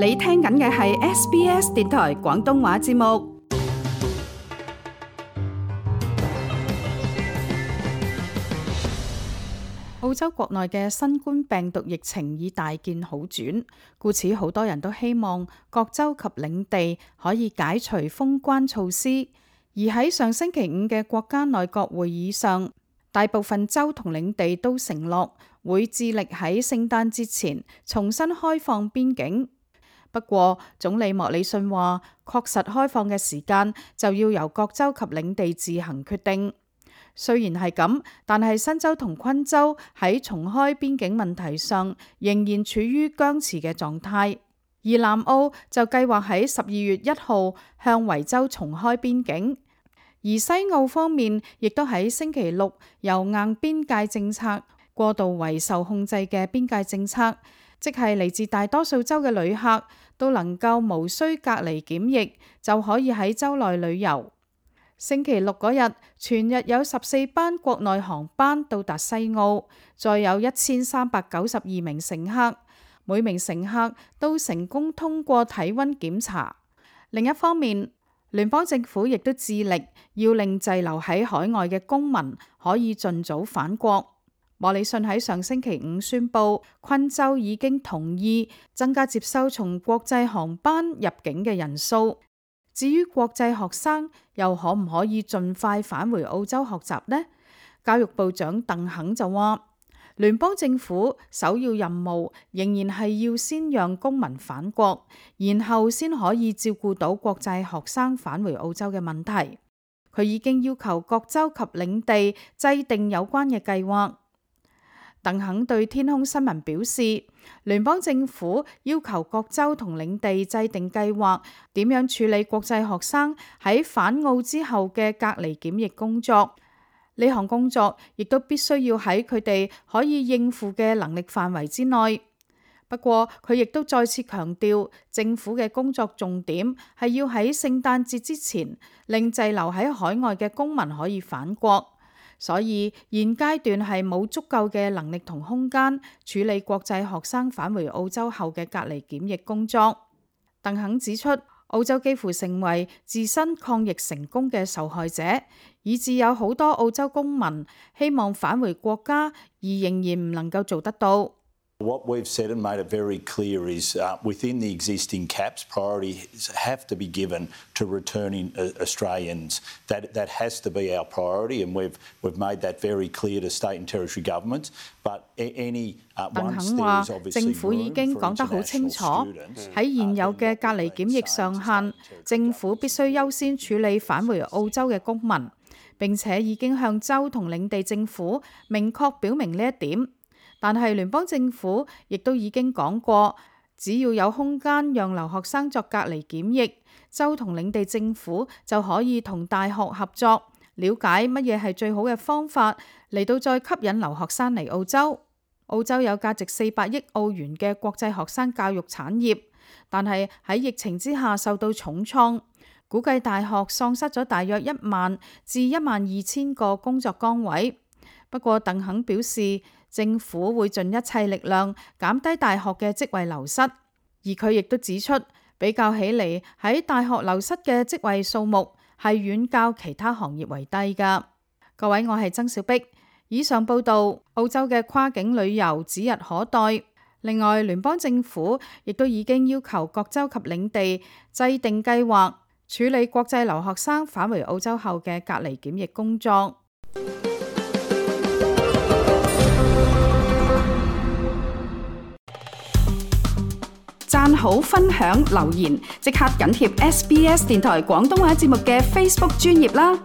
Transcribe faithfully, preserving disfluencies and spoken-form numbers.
你聽緊嘅係 S B S 電台廣東話節目。澳洲國內嘅新冠病毒疫情已大見好轉，故此好多人都希望各州及領地可以解除封關措施。而喺上星期五嘅國家內閣會議上，大部分州同領地都承諾會致力喺聖誕節前重新開放邊境。不過，總理莫里遜話，確實開放嘅時間就要由各州及領地自行決定。雖然係咁，但係新州同昆州喺重開邊境問題上仍然處於僵持嘅狀態，而南澳就計劃喺十二月一號向維州重開邊境，而西澳方面亦都喺星期六由硬邊界政策過渡為受控制嘅邊界政策，即係嚟自大多數州嘅旅客都能夠無需隔離檢疫就可以喺州內旅遊。星期六嗰日，全日有十四班國內航班到達西澳，再有一千三百九十二名乘客，每名乘客都成功通過體溫檢查。另一方面，聯邦政府亦都致力要令滯留喺海外嘅公民可以盡早返國。莫里遜喺上星期五宣布，昆州已經同意增加接收從國際航班入境嘅人數。至於國際學生又可唔可以盡快返回澳洲學習呢？教育部長鄧肯就話，聯邦政府首要任務仍然係要先讓公民返國，然後先可以照顧到國際學生返回澳洲嘅問題。佢已經要求各州及領地制定有關嘅計劃。鄧肯對天空新聞表示，聯邦政府要求各州同領地制定計劃，點樣處理國際學生喺返澳之後嘅隔離檢疫工作。呢項工作亦都必須要喺佢哋可以應付嘅能力範圍之內。不過，佢亦都再次強調，政府嘅工作重點係要喺聖誕節之前，令滯留喺海外嘅公民可以返國。所以現階段係冇足夠嘅能力同空間處理國際學生返回澳洲後嘅隔離檢疫工作。鄧肯指出，澳洲幾乎成為自身抗疫成功嘅受害者，以致有好多澳洲公民希望返回國家，而仍然唔能夠做得到。What we've said and made it very clear is uh, within the existing caps, priority have to be given to returning Australians. That that has to be our priority, and we've we've made that very clear to state and territory governments. But any uh, once there is obviously 政府已經講得好清楚，喺現有嘅隔離檢疫上限，政府必須優先處理返回澳洲嘅公民，並且已經向州同領地政府明確表明呢一點。但係聯邦政府亦都已經講過，只要有空間讓留學生作隔離檢疫，州同領地政府就可以同大學合作，了解乜嘢係最好嘅方法嚟到再吸引留學生嚟澳洲。澳洲有價值四百億澳元嘅國際學生教育產業，但係喺疫情之下受到重創，估計大學喪失咗大約一萬至一萬二千個工作崗位。不過鄧肯表示，政府會盡一切力量減低大學嘅職位流失，而佢亦都指出，比較起嚟喺大學流失嘅職位數目係遠較其他行業為低㗎。各位，我係曾小碧，以上報道。澳洲嘅跨境旅遊指日可待。另外，聯邦政府亦都已經要求各州及領地制定計劃，處理國際留學生返回澳洲後嘅隔離檢疫工作。讚好、分享、留言，即刻緊貼 S B S 電台廣東話節目嘅 Facebook 專頁啦！